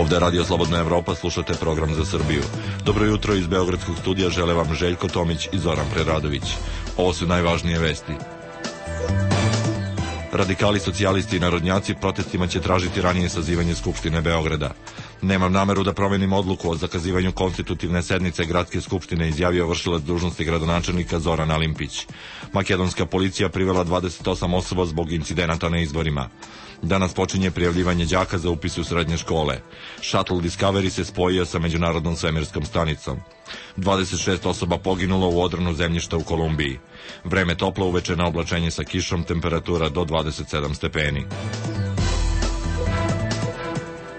Ovde je Radio Slobodna Evropa, slušate program za Srbiju. Dobro jutro iz Beogradskog studija, žele vam Željko Tomić i Zoran Preradović. Ovo su najvažnije vesti. Radikali, socijalisti i narodnjaci protestima će tražiti ranije sazivanje Skupštine Beograda. Nemam nameru da promenim odluku o zakazivanju konstitutivne sednice Gradske skupštine, izjavio vršilac dužnosti gradonačelnika Zoran Alimpić. Makedonska policija privela 28 osoba zbog incidenata na izborima. Danas počinje prijavljivanje đaka za upis u srednje škole. Shuttle Discovery se spojio sa međunarodnom svemirskom stanicom. 26 osoba poginulo u odronu zemljišta u Kolumbiji. Vreme toplo, uveče na oblačenje sa kišom, temperatura do 27 stepeni.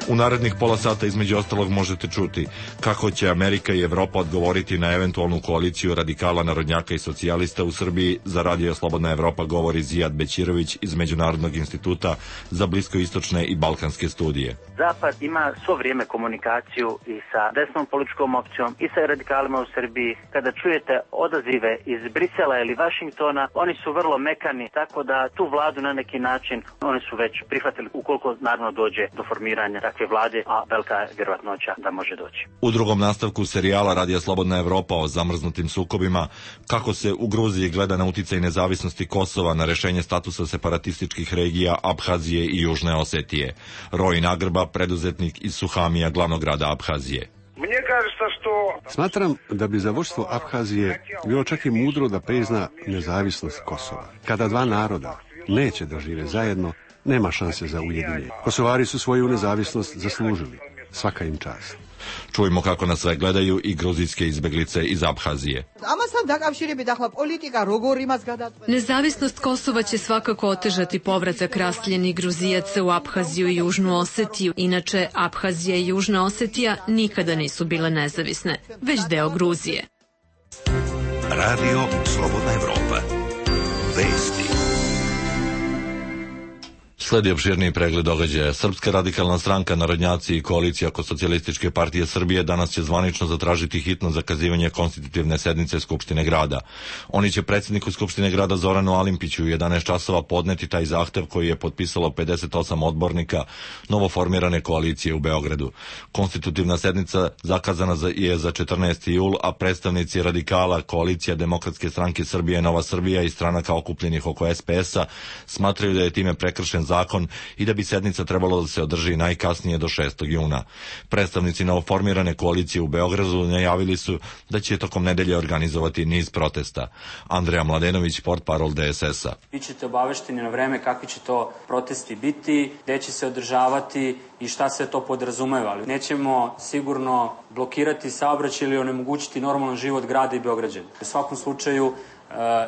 U narednih pola sata između ostalog možete čuti kako će Amerika i Evropa odgovoriti na eventualnu koaliciju radikala, narodnjaka i socijalista u Srbiji. Za Radio Slobodna Evropa govori Zijad Bećirović iz Međunarodnog instituta za bliskoistočne i balkanske studije. Zapad ima svo vrijeme komunikaciju i sa desnom političkom opcijom i sa radikalima u Srbiji. Kada čujete odazive iz Brisela ili Vašingtona, oni su vrlo mekani, tako da tu vladu na neki način oni su već prihvatili, ukoliko naravno dođe do formiranja takve vlade, a velika je vjerovatnoća da može doći. U drugom nastavku serijala Radija Slobodna Evropa o zamrznutim sukobima, kako se u Gruziji gleda na uticaj nezavisnosti Kosova na rešenje statusa separatističkih regija Abhazije i Južne Osetije. Rojin Agrba, preduzetnik iz Suhamija, glavnog grada Abhazije. Smatram da bi za vodstvo Abhazije bilo čak i mudro da prizna nezavisnost Kosova. Kada dva naroda neće da žive zajedno, nema šanse za ujedinjenje. Kosovari su svoju nezavisnost zaslužili. Svaka im čast. Čujemo kako nas sve gledaju i gruzijske izbeglice iz Abhazije. Nezavisnost Kosova će svakako otežati povratak raseljenih Gruzijaca u Abhaziju i Južnu Osetiju. Inače, Abhazija i Južna Osetija nikada nisu bile nezavisne, već deo Gruzije. Radio Slobodna Evropa. Vesti. Sledi opširniji pregled događaja. Srpska radikalna stranka, narodnjaci i koalicija oko Socijalističke partije Srbije danas će zvanično zatražiti hitno zakazivanje konstitutivne sednice Skupštine grada. Oni će predsjedniku Skupštine grada Zoranu Alimpiću u 11 časova podneti taj zahtev koji je potpisalo 58 odbornika novoformirane koalicije u Beogradu. Konstitutivna sednica zakazana je za 14. jul, a predstavnici radikala, koalicija Demokratske stranke Srbije, Nova Srbija i stranaka okupljenih oko SPS-a smatraju da je time prekršen zakon i da bi sednica trebalo da se održi najkasnije do 6. juna. Predstavnici novoformirane koalicije u Beogradu najavili su da će tokom nedelje organizovati niz protesta. Andreja Mladenović, portparol DSS-a. Bićete obavešteni na vreme kakvi će to protesti biti, gde će se održavati i šta se to podrazumeva. Ali nećemo sigurno blokirati saobraćaj ili onemogućiti normalan život grada i Beograđana. U svakom slučaju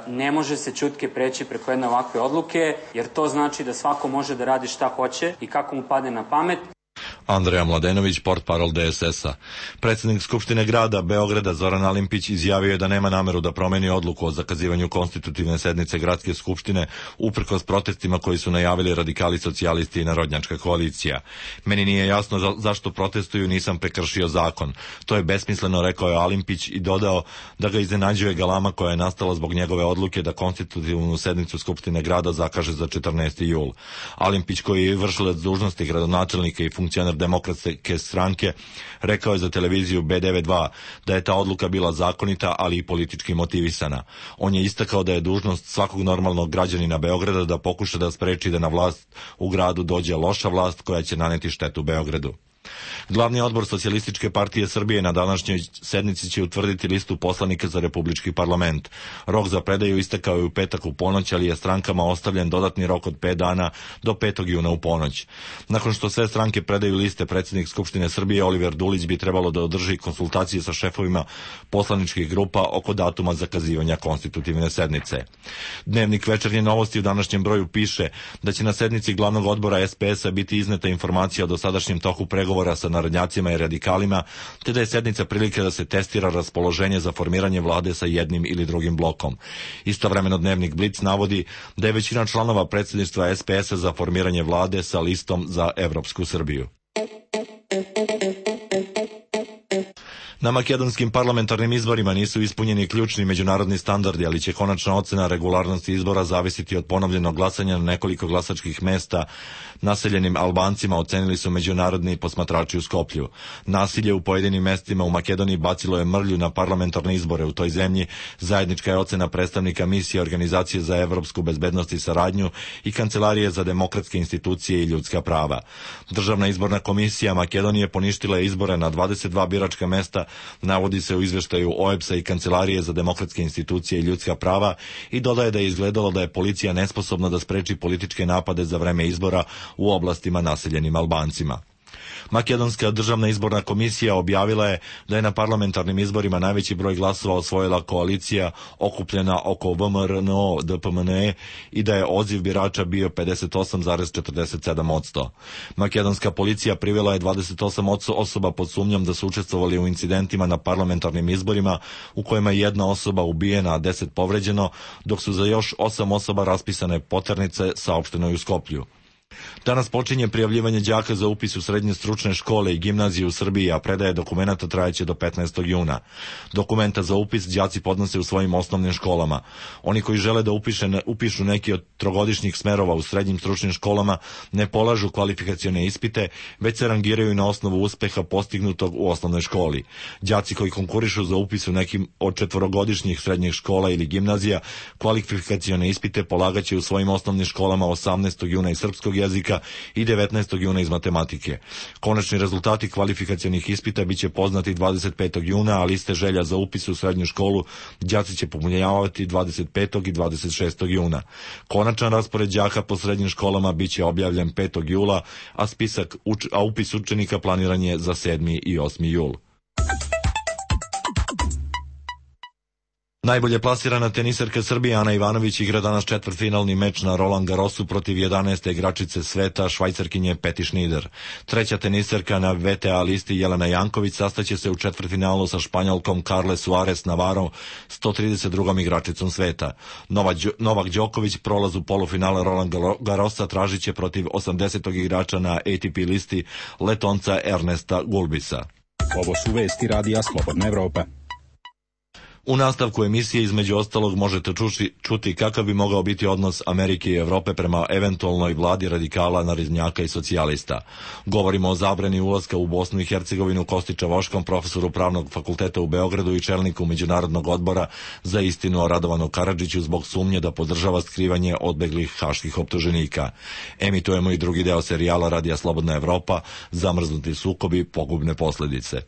ne može se ćutke preći preko jedne ovakve odluke, jer to znači da svako može da radi šta hoće i kako mu padne na pamet. Andreja Mladenović, portparol DSS-a. Predsjednik Skupštine grada Beograda Zoran Alimpić izjavio je da nema nameru da promeni odluku o zakazivanju konstitutivne sednice Gradske skupštine uprkos protestima koji su najavili radikali, socijalisti i narodnjačka koalicija. Meni nije jasno zašto protestuju, nisam prekršio zakon. To je besmisleno, rekao je Alimpić i dodao da ga iznenađuje galama koja je nastala zbog njegove odluke da konstitutivnu sednicu Skupštine grada zakaže za 14. jul. Alimpić, koji je vršilac dužnosti gradonačelnika i funkcioner Demokratske stranke, rekao je za televiziju B92 da je ta odluka bila zakonita, ali i politički motivisana. On je istakao da je dužnost svakog normalnog građanina Beograda da pokuša da spreči da na vlast u gradu dođe loša vlast koja će naneti štetu Beogradu. Glavni odbor Socijalističke partije Srbije na današnjoj sednici će utvrditi listu poslanika za Republički parlament. Rok za predaju istekao je u petak u ponoć, ali je strankama ostavljen dodatni rok od 5 dana do 5. juna u ponoć. Nakon što sve stranke predaju liste, predsjednik Skupštine Srbije Oliver Dulić bi trebalo da održi konsultacije sa šefovima poslaničkih grupa oko datuma zakazivanja konstitutivne sednice. Dnevnik Večernje novosti u današnjem broju piše da će na sednici glavnog odbora SPS-a biti izneta informacija o dosadašnjem toku pregovora sa narodnjacima i radikalima, te da je sednica prilike da se testira raspoloženje za formiranje vlade sa jednim ili drugim blokom. Istovremeno dnevnik Blic navodi da je većina članova predsjedništva SPS-a za formiranje vlade sa listom za Evropsku Srbiju. Na makedonskim parlamentarnim izborima nisu ispunjeni ključni međunarodni standardi, ali će konačna ocena regularnosti izbora zavisiti od ponovljenog glasanja na nekoliko glasačkih mesta naseljenim Albancima, ocenili su međunarodni posmatrači u Skoplju. Nasilje u pojedinim mestima u Makedoniji bacilo je mrlju na parlamentarne izbore u toj zemlji. Zajednička je ocena predstavnika misije Organizacije za evropsku bezbednost i saradnju i Kancelarije za demokratske institucije i ljudska prava. Državna izborna komisija Makedonije poništila je izbore na 22 biračka mesta, navodi se u izveštaju OEBS-a i Kancelarije za demokratske institucije i ljudska prava, i dodaje da je izgledalo da je policija nesposobna da spreči političke napade za vreme izbora u oblastima naseljenim Albancima. Makedonska državna izborna komisija objavila je da je na parlamentarnim izborima najveći broj glasova osvojila koalicija okupljena oko VMRNO DPMNE i da je odziv birača bio 58,47%. Makedonska policija privela je 28 osoba pod sumnjom da su učestvovali u incidentima na parlamentarnim izborima u kojima je jedna osoba ubijena, a 10 povređeno, dok su za još 8 osoba raspisane poternice, saopšteno je u Skoplju. Danas počinje prijavljivanje đaka za upis u srednje stručne škole i gimnazije u Srbiji, a predaje dokumenata trajeće do 15. juna. Dokumenta za upis đaci podnose u svojim osnovnim školama. Oni koji žele da upišu neki od trogodišnjih smerova u srednjim stručnim školama ne polažu kvalifikacione ispite, već se rangiraju na osnovu uspeha postignutog u osnovnoj školi. Đaci koji konkurišu za upis u nekim od četvorogodišnjih srednjih škola ili gimnazija kvalifikacione ispite polagaće u svojim osnovnim školama 18. juna iz srpskog jezika i 19. juna iz matematike. Konačni rezultati kvalifikacionih ispita biće poznati 25. juna, a liste želja za upis u srednju školu đaci će popunjavati 25. i 26. juna. Konačan raspored đaka po srednjim školama biće objavljen 5. jula, a upis učenika planiran je za 7. i 8. jul. Najbolje plasirana teniserka Srbije Ana Ivanović igra danas četvrtfinalni meč na Roland Garrosu protiv 11. igračice sveta, Švajcarkinje Peti Šnider. Treća teniserka na VTA listi Jelena Janković sastaće se u četvrtfinalu sa Španjolkom Carle Suarez Navarro, 132. igračicom sveta. Novak Đoković prolaz u polufinale Roland Garrosa tražit će protiv 80. igrača na ATP listi Letonca Ernesta Gulbisa. Ovo su vesti Radija Slobodna Evropa. U nastavku emisije između ostalog možete čuti kakav bi mogao biti odnos Amerike i Evrope prema eventualnoj vladi radikala, narodnjaka i socijalista. Govorimo o zabrani ulaska u Bosnu i Hercegovinu Kosti Čavoškom, profesoru Pravnog fakulteta u Beogradu i čelniku Međunarodnog odbora za istinu o Radovanu Karadžiću zbog sumnje da podržava skrivanje odbeglih haških optuženika. Emitujemo i drugi deo serijala Radija Slobodna Evropa, Zamrznuti sukobi, pogubne posledice.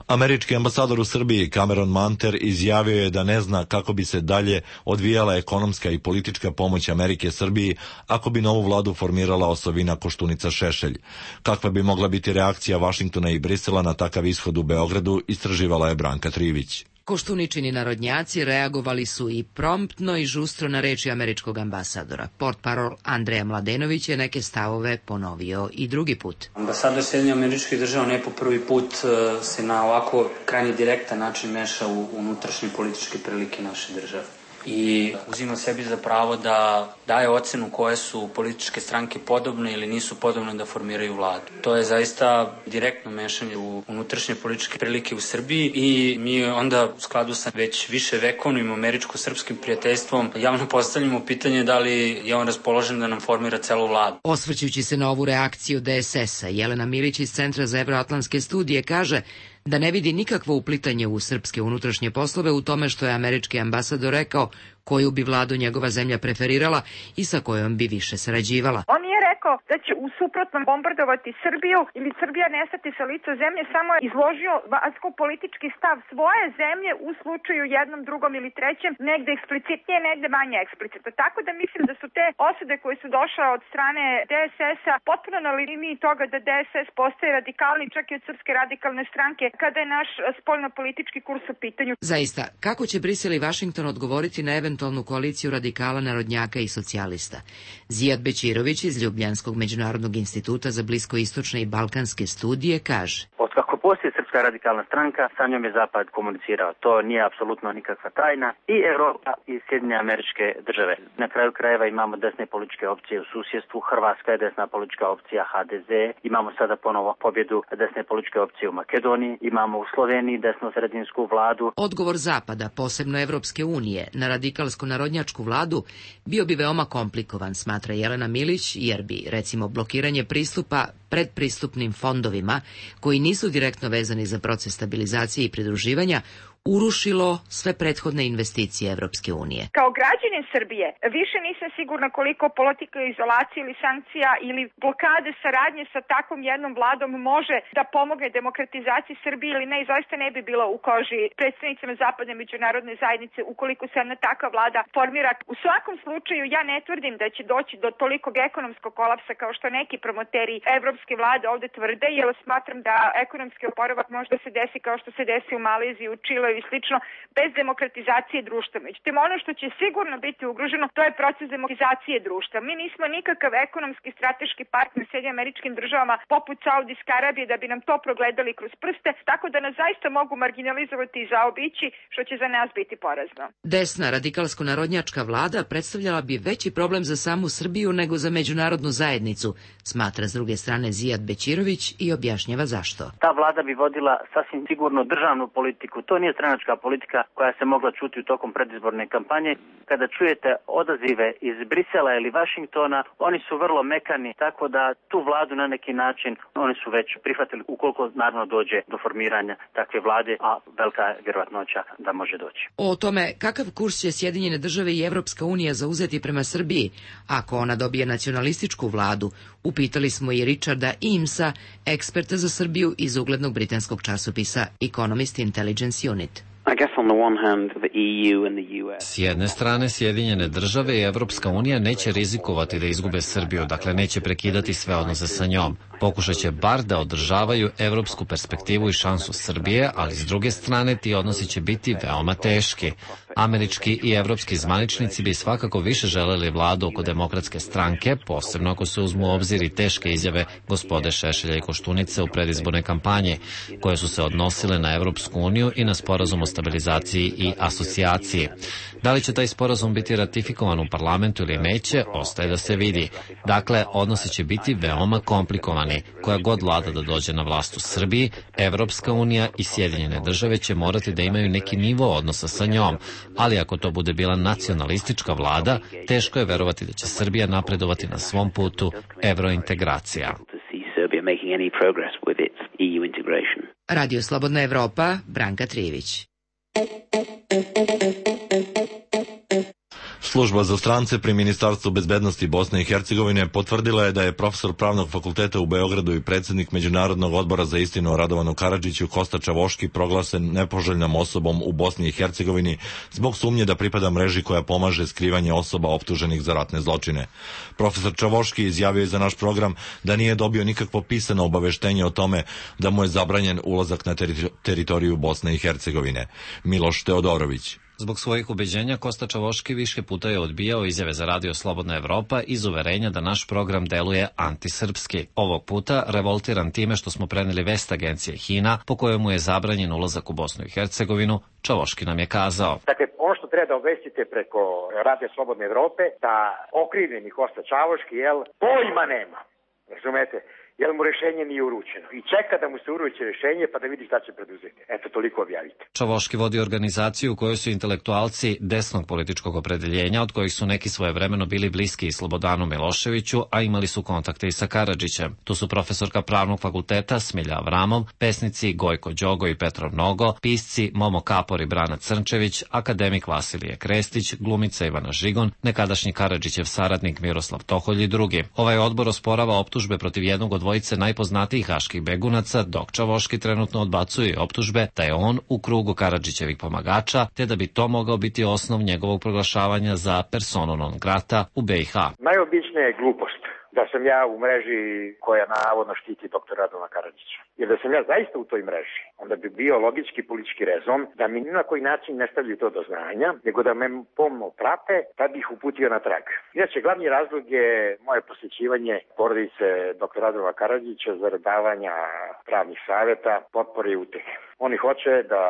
Američki ambasador u Srbiji Cameron Manter izjavio je da ne zna kako bi se dalje odvijala ekonomska i politička pomoć Amerike Srbiji ako bi novu vladu formirala osovina Koštunica Šešelj. Kakva bi mogla biti reakcija Vašingtona i Brisela na takav ishod u Beogradu, istraživala je Branka Trivić. Koštuničini narodnjaci reagovali su i promptno i žustro na reči američkog ambasadora. Portparol Andreja Mladenović je neke stavove ponovio i drugi put. Ambasador Sjedinjenih Američkih Država ne po prvi put se na ovako krajnje direktan način meša u unutrašnje političke prilike naše države. I uzima sebi za pravo da daje ocenu koje su političke stranke podobne ili nisu podobne da formiraju vladu. To je zaista direktno mešanje u unutrašnje političke prilike u Srbiji i mi onda u skladu sa već više vekovnim američko-srpskim prijateljstvom javno postavljamo pitanje da li je on raspoložen da nam formira celu vladu. Osvrćući se na ovu reakciju DSS-a, Jelena Milić iz Centra za evroatlantske studije kaže da ne vidi nikakvo uplitanje u srpske unutrašnje poslove u tome što je američki ambasador rekao koju bi vladu njegova zemlja preferirala i sa kojom bi više sarađivala. On je rekao da će u suprotnom bombardovati Srbiju ili Srbija nestati sa lica zemlje, samo je izložio vanjsko-politički stav svoje zemlje u slučaju jednom, drugom ili trećem, negde eksplicitnije, negde manje eksplicitno. Tako da mislim da su te osude koje su došle od strane DSS-a potpuno na liniji toga da DSS postaje radikalni čak i od Srpske radikalne stranke kada je naš spoljno-politički kurs u pitanju. Zaista, kako će Brisel i Vašington odgovoriti na eventualnu koaliciju radikala, narodnjaka i socijalista? Zijad Bećirović iz Ljubljanskog međunarodnog instituta za bliskoistočne i balkanske studije kaže: Otkako postoji Srpska radikalna stranka, sa njom je Zapad komunicirao. To nije apsolutno nikakva tajna. I Evropa i Sjedinjene Američke Države. Na kraju krajeva imamo desne političke opcije u susjedstvu. Hrvatska je desna politička opcija HDZ. Imamo sada ponovo pobjedu desne političke opcije u Makedoniji. Imamo u Sloveniji desno-sredinsku vladu. Odgovor Zapada, posebno Evropske unije, na radikalsko-narodnjačku vladu bio bi veoma komplikovan, smatra Jelena Milić, jer bi, recimo, blokiranje pristupa predpristupnim fondovima, koji nisu direktno vezani za proces stabilizacije i pridruživanja, urušilo sve prethodne investicije Evropske unije. Kao građanin Srbije više nisam sigurna koliko politika izolacije ili sankcija ili blokade saradnje sa takvom jednom vladom može da pomogne demokratizaciji Srbije ili ne, i zaista ne bi bila u koži predstavnicima zapadne međunarodne zajednice ukoliko se jedna takva vlada formira. U svakom slučaju ja ne tvrdim da će doći do tolikog ekonomskog kolapsa kao što neki promoteri evropske vlade ovde tvrde, jer smatram da ekonomski oporavak može da se desi kao što se desi u Maleziji, u Čileu i slično, bez demokratizacije društva. Međutim, ono što će sigurno biti ugroženo, to je proces demokratizacije društva. Mi nismo nikakav ekonomski strateški partner Sjedinjenim Američkim Državama poput Saudijske Arabije da bi nam to progledali kroz prste, tako da nas zaista mogu marginalizovati i zaobići, što će za nas biti porazno. Desna radikalsko-narodnjačka vlada predstavljala bi veći problem za samu Srbiju nego za međunarodnu zajednicu, smatra s druge strane Zijad Bećirović i objašnjava zašto. Ta vlada bi vodila sasvim sigurno državnu politiku. To nije stranačka politika koja se mogla čuti u tokom predizborne kampanje. Kada čujete odazive iz Brisela ili Vašingtona, oni su vrlo mekani, tako da tu vladu na neki način oni su već prihvatili ukoliko naravno dođe do formiranja takve vlade, a velika je vjerovatnoća da može doći. O tome kakav kurs će Sjedinjene Države i Evropska unija zauzeti prema Srbiji ako ona dobije nacionalističku vladu, upitali smo i Richarda Eamesa, eksperta za Srbiju iz uglednog britanskog časopisa Economist Intelligence Unit. S jedne strane, Sjedinjene Države i Evropska unija neće rizikovati da izgube Srbiju, dakle neće prekidati sve odnose sa njom. Pokušat će bar da održavaju evropsku perspektivu i šansu Srbije, ali s druge strane ti odnosi će biti veoma teški. Američki i evropski zvaničnici bi svakako više želeli vladu oko Demokratske stranke, posebno ako se uzmu u obzir i teške izjave gospode Šešelja i Koštunice u predizbornoj kampanji, koje su se odnosile na Evropsku uniju i na sporazum o stabilizaciji i asocijaciji. Da li će taj sporazum biti ratifikovan u parlamentu ili neće, ostaje da se vidi. Dakle, odnosi će biti veoma komplikovani. Koja god vlada da dođe na vlast u Srbiji, Evropska unija i Sjedinjene Države će morati da imaju neki nivo odnosa sa njom, ali ako to bude bila nacionalistička vlada, teško je verovati da će Srbija napredovati na svom putu evrointegracija. Radio Slobodna Evropa, Branka Trijević. Služba za strance pri Ministarstvu bezbednosti Bosne i Hercegovine potvrdila je da je profesor Pravnog fakulteta u Beogradu i predsjednik Međunarodnog odbora za istinu o Radovanu Karadžiću Kosta Čavoški proglašen nepoželjnom osobom u Bosni i Hercegovini zbog sumnje da pripada mreži koja pomaže skrivanje osoba optuženih za ratne zločine. Profesor Čavoški izjavio je za naš program da nije dobio nikakvo pisano obaveštenje o tome da mu je zabranjen ulazak na teritoriju Bosne i Hercegovine. Miloš Teodorović. Zbog svojih ubeđenja Kosta Čavoški više puta je odbijao izjave za Radio Slobodna Evropa iz uverenja da naš program deluje antisrpski. Ovog puta revoltiran time što smo preneli vest agencije HINA po kojoj mu je zabranjen ulazak u Bosnu i Hercegovinu, Čavoški nam je kazao. Dakle, ono što treba da obvestite preko Radio Slobodne Evrope, da okrivljeni Kosta Čavoški, pojma nema, razumete? Jer mu rešenje nije uručeno. I čeka da mu se uruči rešenje pa da vidi šta će preduzeti. Eto, toliko objavite. Čavoški vodi organizaciju u kojoj su intelektualci desnog političkog opredeljenja, od kojih su neki svojevremeno bili bliski i Slobodanu Miloševiću, a imali su kontakte i sa Karadžićem. Tu su profesorka Pravnog fakulteta Smilja Avramov, pesnici Gojko Đogo i Petrov Nogo, pisci Momo Kapor i Brana Crnčević, akademik Vasilije Krestić, glumica Ivana Žigon, nekadašnji Karadžićev saradnik Miroslav Toholj i drugi. Ovaj odbor osporava optužbe protiv jednog od dvojice najpoznatijih haških begunaca, dok Čavoški trenutno odbacuje optužbe da je on u krugu Karadžićevih pomagača, te da bi to mogao biti osnov njegovog proglašavanja za personu non grata u BiH. Najobičnija je glupost da sam ja u mreži koja navodno štiti doktora Radovana Karadžića. Jer da sam ja zaista u toj mreži, onda bi bio logički politički rezon da mi ni na koji način ne stavljaju to do znanja, nego da me pomno prate, tad bih uputio na trag. Inače, glavni razlog je moje posjećivanje porodice doktora Radovana Karadžića zarad davanja pravnih savjeta, potpore i utehe. Oni hoće da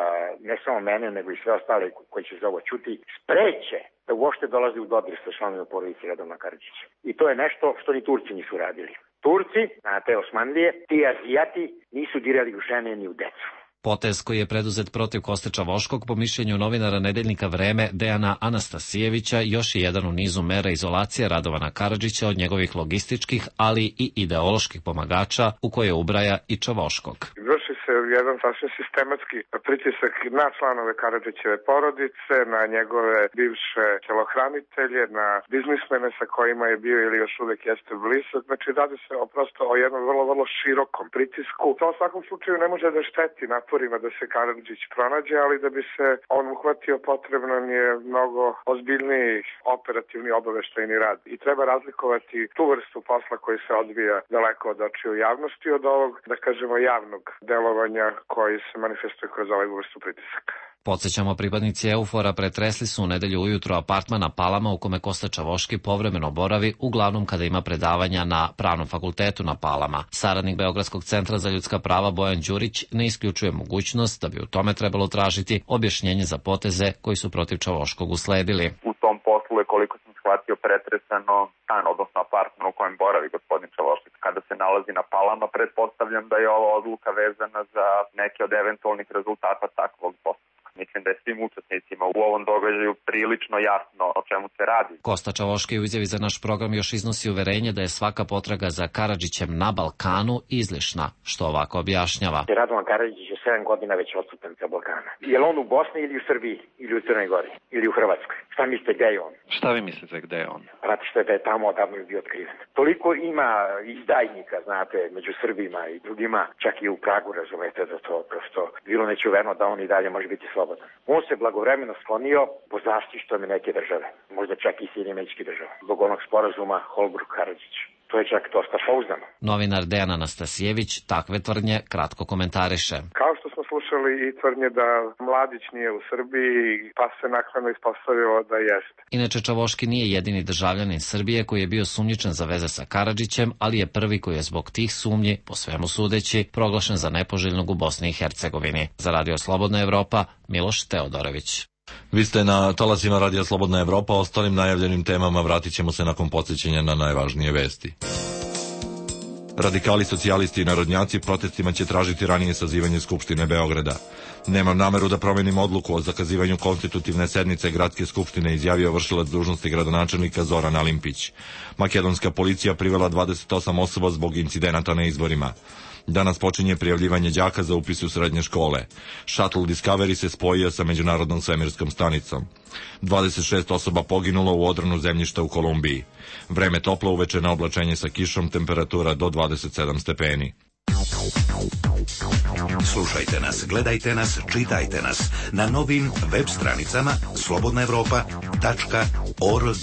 ne samo mene, nego i sve ostale koji će za ovo čuti, spreče da uopšte dolazi u dodir sa članovima porodice Radovana Karadžića. I to je nešto što ni Turci nisu radili. Turci, na te Osmanlije, ti Azijati nisu dirali u žene ni u decu. Potez koji je preduzet protiv Koste Čavoškog, po mišljenju novinara nedeljnika Vreme Dejana Anastasijevića, još je jedan u nizu mera izolacije Radovana Karadžića od njegovih logističkih, ali i ideoloških pomagača, u koje ubraja i Čavoškog. Vrši se jedan sasvim sistematski pritisak na članove Karadžićeve porodice, na njegove bivše telohranitelje, na biznismene sa kojima je bio ili još uvek jeste blizak. Znači, radi se prosto o jednom vrlo širokom pritisku. To u svakom slučaju ne može da šteti naporima da se Karadžić pronađe, ali da bi se on uhvatio potrebno je mnogo ozbiljniji operativni obaveštajni rad. I treba razlikovati tu vrstu posla koji se odvija daleko od očiju javnosti od ovog, da kažemo, javnog delovanja koji se manifestuje kroz ovaj vrstu pritisaka. Podsjećamo, pripadnici Eufora pretresli su u nedelju ujutro apartman na Palama u kome Kosta Čavoški povremeno boravi, uglavnom kada ima predavanja na Pravnom fakultetu na Palama. Saradnik Beogradskog centra za ljudska prava Bojan Đurić ne isključuje mogućnost da bi u tome trebalo tražiti objašnjenje za poteze koji su protiv Čavoškog usledili. U tom poslu je, koliko sam shvatio, pretresano stan, odnosno apartman u kojem boravi gospodin Čavoški. Kada se nalazi na Palama, pretpostavljam da je ova odluka vezana za neke od eventualnih rezultata takvog posla. Mislim da je svim učesnicima u ovom događaju prilično jasno o čemu se radi. Kosta Čavoški u izjavi za naš program još iznosi uverenje da je svaka potraga za Karadžićem na Balkanu izlišna, što ovako objašnjava. Radovan Karadžić je 7 godina već odsutan sa Balkana. Je li on u Bosni ili u Srbiji, ili u Crnoj Gori, ili u Hrvatskoj? Šta mislite, gde je on? Šta vi mislite, gde je on? Znate što je da je tamo odavno bio otkriven. Toliko ima izdajnika, znate, među Srbima i drugima, čak i u Pragu, razumete, da to prosto bilo nečuveno da on i dalje može biti slobodan. On se blagovremeno sklonio po zaštitom neke države, možda čak i Sjedinjenih Američkih Država, zbog onog sporazuma Holbrooke-Karadžić. To je čak dosta pouzdano. Novinar Dejan Anastasijević takve tvrdnje kratko komentariše. Kao što smo slušali i tvrdnje da Mladić nije u Srbiji, pa se naknadno ispostavilo da jeste. Inače, Čavoški nije jedini državljanin Srbije koji je bio sumnjičan za veze sa Karadžićem, ali je prvi koji je zbog tih sumnji, po svemu sudeći, proglašen za nepoželjnog u Bosni i Hercegovini. Za Radio Slobodna Evropa, Miloš Teodorović. Vi ste na talasima Radija Slobodna Evropa, ostalim najavljenim temama vratit ćemo se nakon podsjećanja na najvažnije vesti. Radikali, socijalisti i narodnjaci protestima će tražiti ranije sazivanje Skupštine Beograda. Nemam nameru da promenim odluku o zakazivanju konstitutivne sednice Gradske skupštine, izjavio vršilac dužnosti gradonačelnika Zoran Alimpić. Makedonska policija privela 28 osoba zbog incidenata na izborima. Danas počinje prijavljivanje đaka za upis u srednje škole. Shuttle Discovery se spojio sa Međunarodnom svemirskom stanicom. 26 osoba poginulo u odronu zemljišta u Kolumbiji. Vreme toplo, uveče na oblačenje sa kišom, temperatura do 27 stepeni. Slušajte nas, gledajte nas, čitajte nas na novim web stranicama slobodnaevropa.org.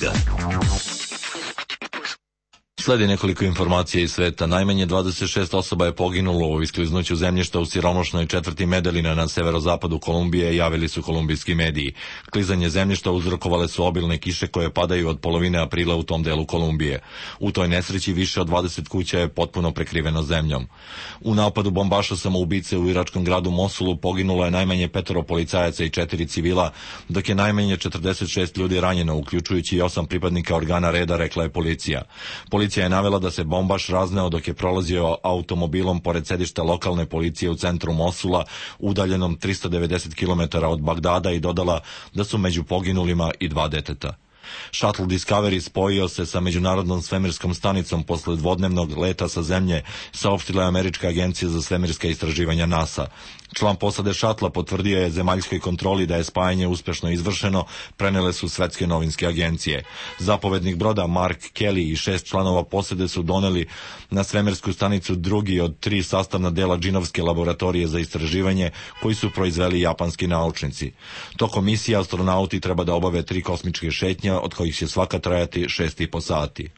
Sledi nekoliko informacija iz sveta. Najmanje 26 osoba je poginulo u iskliznuću zemljišta u siromašnoj četvrti Medelina na severozapadu Kolumbije, javili su kolumbijski mediji. Klizanje zemljišta uzrokovale su obilne kiše koje padaju od polovine aprila u tom delu Kolumbije. U toj nesreći više od 20 kuća je potpuno prekriveno zemljom. U napadu bombaša samoubice u iračkom gradu Mosulu poginulo je najmanje 5 policajaca i 4 civila, dok je najmanje 46 ljudi ranjeno, uključujući i 8 pripadnika organa reda, rekla je policija. Policija je navela da se bombaš razneo dok je prolazio automobilom pored sedišta lokalne policije u centru Mosula, udaljenom 390 km od Bagdada, i dodala da su među poginulima i 2 deteta. Shuttle Discovery spojio se sa Međunarodnom svemirskom stanicom posle dvodnevnog leta sa zemlje, saopštila je Američka agencija za svemirska istraživanja NASA. Član posade šatla potvrdio je zemaljskoj kontroli da je spajanje uspešno izvršeno, prenele su svetske novinske agencije. Zapovednik broda Mark Kelly i 6 članova posade su doneli na svemirsku stanicu drugi od 3 sastavna dela džinovske laboratorije za istraživanje koji su proizveli japanski naučnici. Tokom misije astronauti treba da obave 3 kosmičke šetnje, od kojih će svaka trajati 6,5 sati.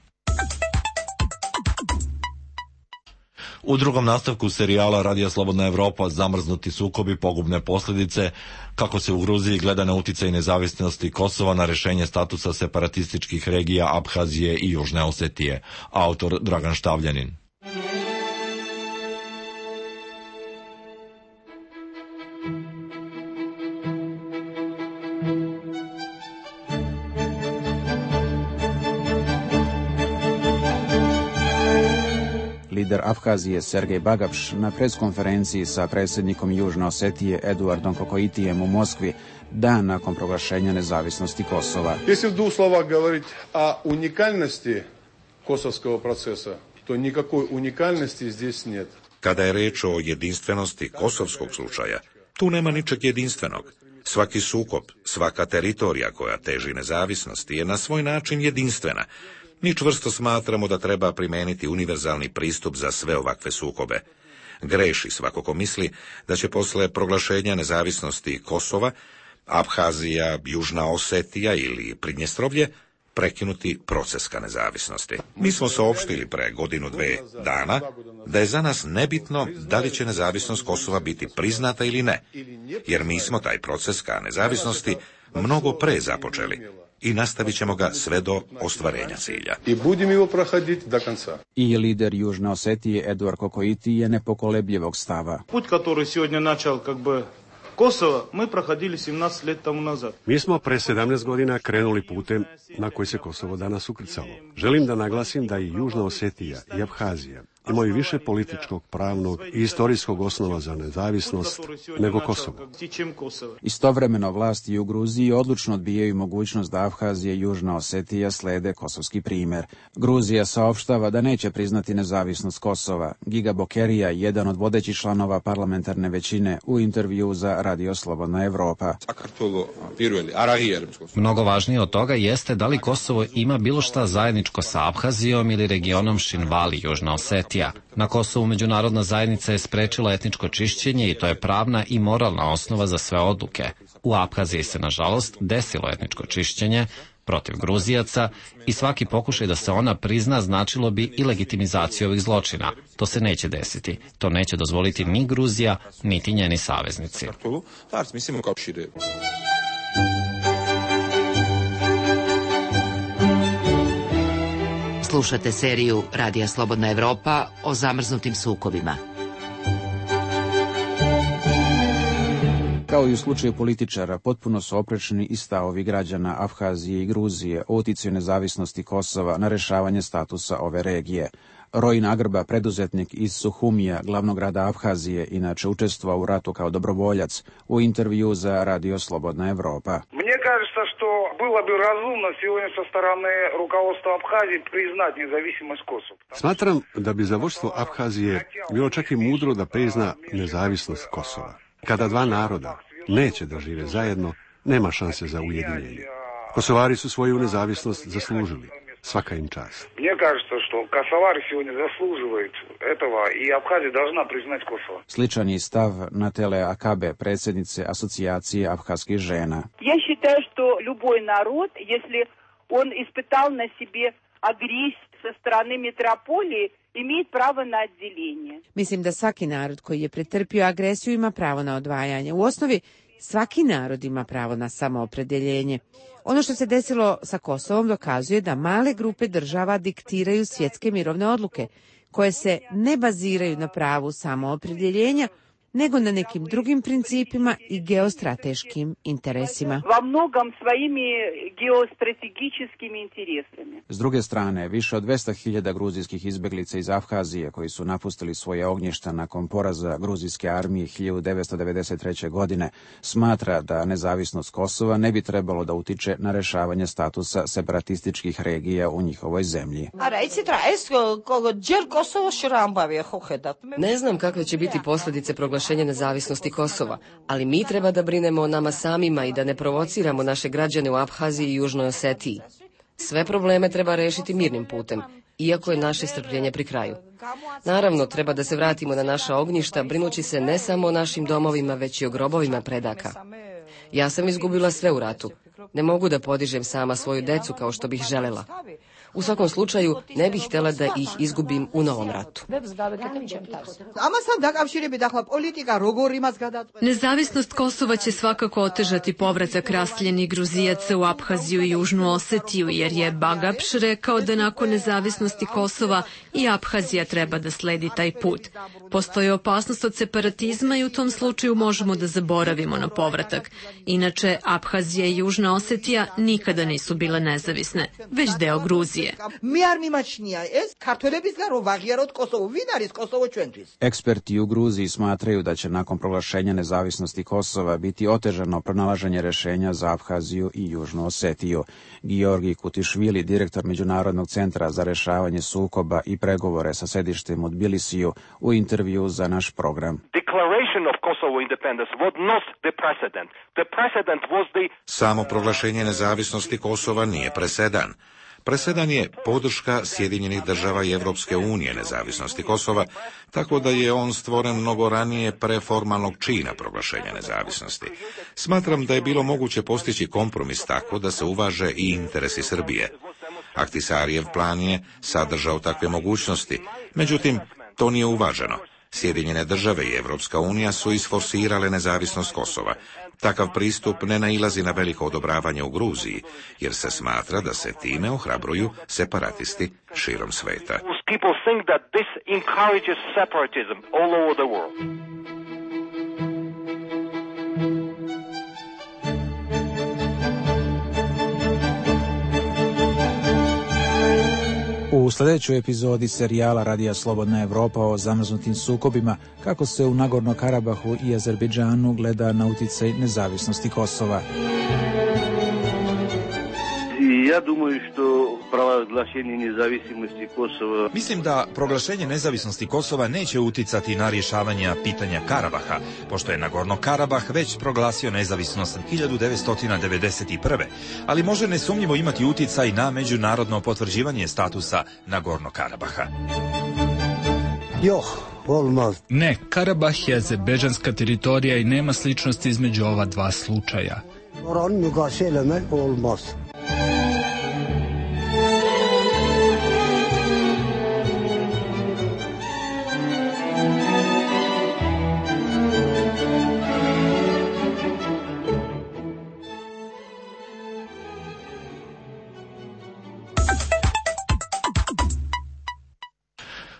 U drugom nastavku serijala Radija Slobodna Evropa zamrznuti sukobi, pogubne posljedice, kako se u Gruziji gleda na uticaj nezavisnosti Kosova na rešenje statusa separatističkih regija Abhazije i Južne Osetije. Autor Dragan Štavljanin. Lider Abhazije Sergej Bagapš na preskonferenciji sa predsjednikom Južne Osetije Eduardom Kokoitijem u Moskvi dan nakon proglašenja nezavisnosti Kosova. Если в двух словах говорить о уникальности косовского процесса, то никакой уникальности здесь нет. Kada je reč o jedinstvenosti kosovskog slučaja, tu nema ničeg jedinstvenog. Svaki sukob, svaka teritorija koja teži nezavisnosti je na svoj način jedinstvena. Mi čvrsto smatramo da treba primeniti univerzalni pristup za sve ovakve sukobe. Greši svako ko misli da će posle proglašenja nezavisnosti Kosova, Abhazija, Južna Osetija ili Pridnjestrovlje prekinuti proces ka nezavisnosti. Mi smo saopštili pre godinu, dve dana da je za nas nebitno da li će nezavisnost Kosova biti priznata ili ne, jer mi smo taj proces ka nezavisnosti mnogo pre započeli i nastavit ćemo ga sve do ostvarenja cilja. I lider Južne Osetije Eduard Kokoiti je nepokolebljivog stava. Put koji сегодня начал Kosovo, mi prohodili 17 let tomu nazad. Mi smo pre 17 godina krenuli putem na koji se Kosovo danas ukrcalo. Želim da naglasim da i Južna Osetija i Abhazija imaju više političkog, pravnog i istorijskog osnova za nezavisnost nego Kosovo. Istovremeno vlasti u Gruziji odlučno odbijaju mogućnost da Abhazija i Južna Osetija slede kosovski primer. Gruzija saopštava da neće priznati nezavisnost Kosova. Giga Bokerija, jedan od vodećih članova parlamentarne većine, u intervju za Radio Slobodna Evropa. Mnogo važnije od toga jeste da li Kosovo ima bilo šta zajedničko sa Abhazijom ili regionom Šinvali, Južna Osetija. Na Kosovu međunarodna zajednica je sprečila etničko čišćenje i to je pravna i moralna osnova za sve odluke. U Abhaziji se, nažalost, desilo etničko čišćenje protiv Gruzijaca i svaki pokušaj da se ona prizna značilo bi i legitimizaciju ovih zločina. To se neće desiti. To neće dozvoliti ni Gruzija, niti njeni saveznici. Slušate seriju Radija Slobodna Evropa o zamrznutim sukobima. Kao i u slučaju političara, potpuno su oprečni i stavovi građana Abhazije i Gruzije o uticaju nezavisnosti Kosova na rešavanje statusa ove regije. Rojin Agrba, preduzetnik iz Suhumija, glavnog grada Abhazije, inače učestvovao u ratu kao dobrovoljac, u intervju za Radio Slobodna Evropa. Мне кажется, что было бы разумно сегодня со стороны руководства Абхазии признать независимость Косово. Smatram da bi za vodstvo Abhazije bilo čak i mudro da prizna nezavisnost Kosova. Kada dva naroda neće da žive zajedno, nema šanse za ujedinjenje. Kosovari su svoju nezavisnost zaslužili. Svaka im čast. Мне кажется, что косовары сегодня заслуживают этого, и Абхазия должна признать Kosovo. Sličan je stav Natele Akabe, predsjednice Asocijacije abhazskih žena. Я считаю, что любой народ, если он испытал на себе агрессию со стороны метрополии, имеет право на отделение. Mislim da svaki narod koji je pretrpio agresiju ima pravo na odvajanje. U osnovi, svaki narod ima pravo na samoopredeljenje. Ono što se desilo sa Kosovom dokazuje da male grupe država diktiraju svjetske mirovne odluke, koje se ne baziraju na pravu samoopredeljenja, nego na nekim drugim principima i geostrateškim interesima. Во многом своими геостратегическими интересами. S druge strane, više od 200.000 gruzijskih izbeglica iz Abhazije koji su napustili svoje ognjišta nakon poraza gruzijske armije 1993. godine smatra da nezavisnost Kosova ne bi trebalo da utiče na rešavanje statusa separatističkih regija u njihovoj zemlji. Ne znam kakve će biti posljedice proglašenja nezavisnosti Kosova, ali mi treba da brinemo o nama samima i da ne provociramo naše građane u Abhaziji i Južnoj Osetiji. Sve probleme treba rešiti mirnim putem, iako je naše strpljenje pri kraju. Naravno, treba da se vratimo na naša ognjišta, brinući se ne samo o našim domovima, već i o grobovima predaka. Ja sam izgubila sve u ratu. Ne mogu da podižem sama svoju decu kao što bih želela. U svakom slučaju, ne bih htjela da ih izgubim u novom ratu. Nezavisnost Kosova će svakako otežati povratak raseljenih Gruzijaca u Aphaziju i Južnu Osetiju, jer je Bagapš rekao da nakon nezavisnosti Kosova i Aphazija treba da sledi taj put. Postoji opasnost od separatizma i u tom slučaju možemo da zaboravimo na povratak. Inače, Aphazija i Južna Osetija nikada nisu bile nezavisne, već deo Gruzije. Eksperti u Gruziji smatraju da će nakon proglašenja nezavisnosti Kosova biti otežano pronalaženje rešenja za Aphaziju i Južnu Osetiju. Georgi Kutišvili, direktor Međunarodnog centra za rešavanje sukoba i pregovore sa sedištem u Tbilisiju, u intervju za naš program. Samo proglašenje nezavisnosti Kosova nije presedan. Presedan je podrška Sjedinjenih država i Evropske unije nezavisnosti Kosova, tako da je on stvoren mnogo ranije pre formalnog čina proglašenja nezavisnosti. Smatram da je bilo moguće postići kompromis tako da se uvaže i interesi Srbije. Ahtisarijev plan je sadržao takve mogućnosti, međutim, to nije uvaženo. Sjedinjene države i Evropska unija su isforsirale nezavisnost Kosova. Takav pristup ne nailazi na veliko odobravanje u Gruziji, jer se smatra da se time ohrabruju separatisti širom sveta. U sljedećoj epizodi serijala Radija Slobodna Evropa o zamrznutim sukobima, kako se u Nagorno Karabahu i Azerbejdžanu gleda na uticaj nezavisnosti Kosova. Ja думаю, što proglašenje nezavisnosti Kosova... Mislim da proglašenje nezavisnosti Kosova neće uticati na rješavanje pitanja Karabaha, pošto je Nagorno Karabah već proglasio nezavisnost 1991. Ali može nesumnjivo imati uticaj na međunarodno potvrđivanje statusa Nagorno Karabaha. Ne, Karabah je azerbejdžanska teritorija i nema sličnosti između ova dva slučaja.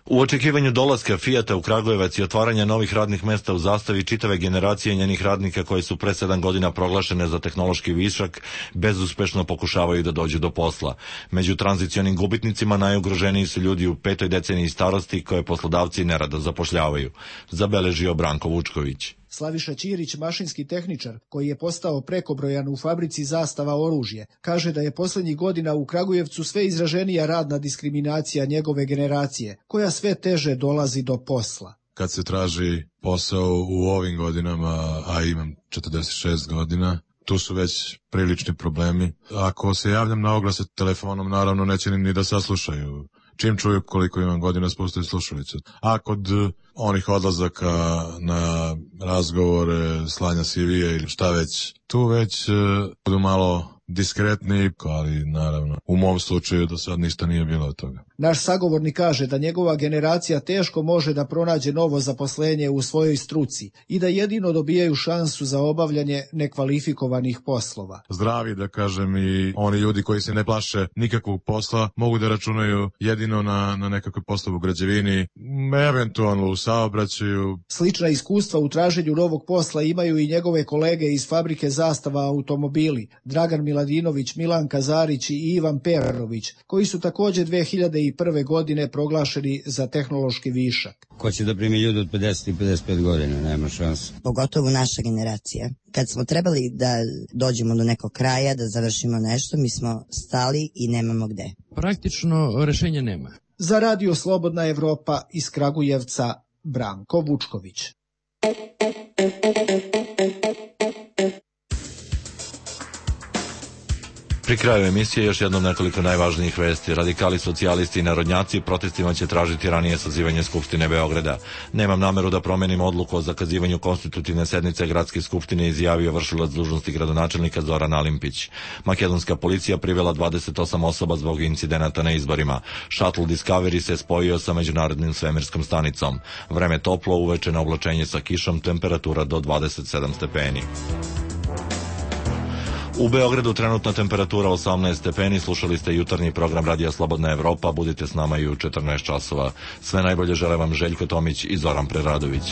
U očekivanju dolaska Fijata u Kragujevac i otvaranja novih radnih mesta u Zastavi, čitave generacije njenih radnika koje su pre 7 godina proglašene za tehnološki višak bezuspešno pokušavaju da dođu do posla. Među tranzicionim gubitnicima najugroženiji su ljudi u 5. deceniji starosti koje poslodavci nerado zapošljavaju, zabeležio Branko Vučković. Slaviša Ćirić, mašinski tehničar, koji je postao prekobrojan u fabrici Zastava oružje, kaže da je posljednjih godina u Kragujevcu sve izraženija radna diskriminacija njegove generacije, koja sve teže dolazi do posla. Kad se traži posao u ovim godinama, a imam 46 godina, tu su već prilični problemi. Ako se javljam na oglase telefonom, naravno neće ni da saslušaju. Čim čuju koliko imam godina, spustaju slušalicu. A kod onih odlazaka na razgovore, slanja CV-a ili šta već, tu već budu malo diskretni, ali naravno u mom slučaju do sad ništa nije bilo od toga. Naš sagovornik kaže da njegova generacija teško može da pronađe novo zaposlenje u svojoj struci i da jedino dobijaju šansu za obavljanje nekvalifikovanih poslova. Zdravi, da kažem, i oni ljudi koji se ne plaše nikakvog posla mogu da računaju jedino na nekakve poslove u građevini, eventualno u saobraćaju. Slična iskustva u traženju novog posla imaju i njegove kolege iz fabrike Zastava automobili, Dragan Miladinović, Milan Kazarić i Ivan Perović, koji su također 2001. godine proglašeni za tehnološki višak. Ko će da primi ljudi od 50 i 55 godina, nema šanse. Pogotovo naša generacija. Kad smo trebali da dođemo do nekog kraja, da završimo nešto, mi smo stali i nemamo gde. Praktično rešenja nema. Za Radio Slobodna Evropa iz Kragujevca, Branko Vučković. Pri kraju emisije još jednom nekoliko najvažnijih vesti. Radikali, socijalisti i narodnjaci protestima će tražiti ranije sazivanje Skupštine Beograda. Nemam nameru da promenim odluku o zakazivanju konstitutivne sednice Gradske skupštine, izjavio vršilac dužnosti gradonačelnika Zoran Alimpić. Makedonska policija privela 28 osoba zbog incidenata na izborima. Shuttle Discovery se spojio sa međunarodnim svemirskom stanicom. Vreme toplo, uveče na oblačenje sa kišom, temperatura do 27 stepeni. U Beogradu trenutna temperatura 18 stepeni. Slušali ste jutarnji program Radija Slobodna Evropa. Budite s nama i u 14 časova. Sve najbolje žele vam Željko Tomić i Zoran Preradović.